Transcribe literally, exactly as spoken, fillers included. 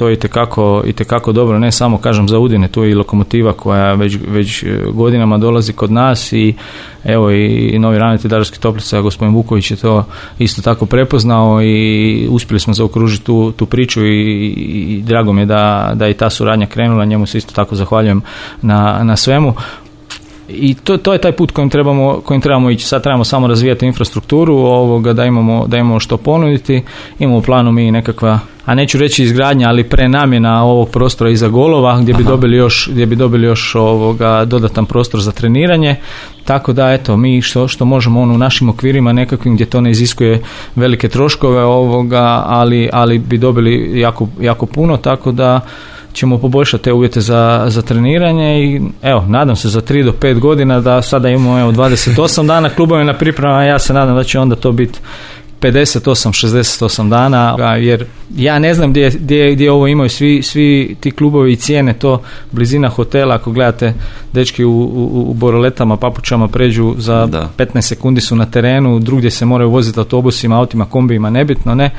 to itekako, itekako dobro, ne samo kažem za Udine, tu je i Lokomotiva koja već, već godinama dolazi kod nas i evo i novi ravnatelj Daruvarskih Toplica, gospodin Vuković je to isto tako prepoznao i uspjeli smo zaokružiti tu, tu priču i, i drago mi je da, da i ta suradnja krenula, njemu se isto tako zahvaljujem na, na svemu. I to, to je taj put kojim trebamo, kojim trebamo ići. Sad trebamo samo razvijati infrastrukturu, ovoga, da imamo, da imamo što ponuditi. Imamo u planu mi nekakva, a neću reći izgradnja, ali prenamjena ovog prostora iza golova gdje bi Aha. dobili još, gdje bi dobili još ovoga dodatan prostor za treniranje. Tako da eto, mi što, što možemo ono u našim okvirima nekakvim gdje to ne iziskuje velike troškove ovoga, ali, ali bi dobili jako, jako puno, tako da ćemo poboljšati te uvjete za, za treniranje i evo, nadam se za tri do pet godina da sada imamo evo, dvadeset osam dana klubove na pripremama, ja se nadam da će onda to biti pedeset osam šezdeset osam dana, jer ja ne znam gdje, gdje, gdje ovo imaju svi, svi ti klubovi i cijene, to blizina hotela, ako gledate dečki u, u, u boroletama, papučama pređu za da. petnaest sekundi su na terenu, drugdje se moraju voziti autobusima, autima, kombijima, nebitno, ne.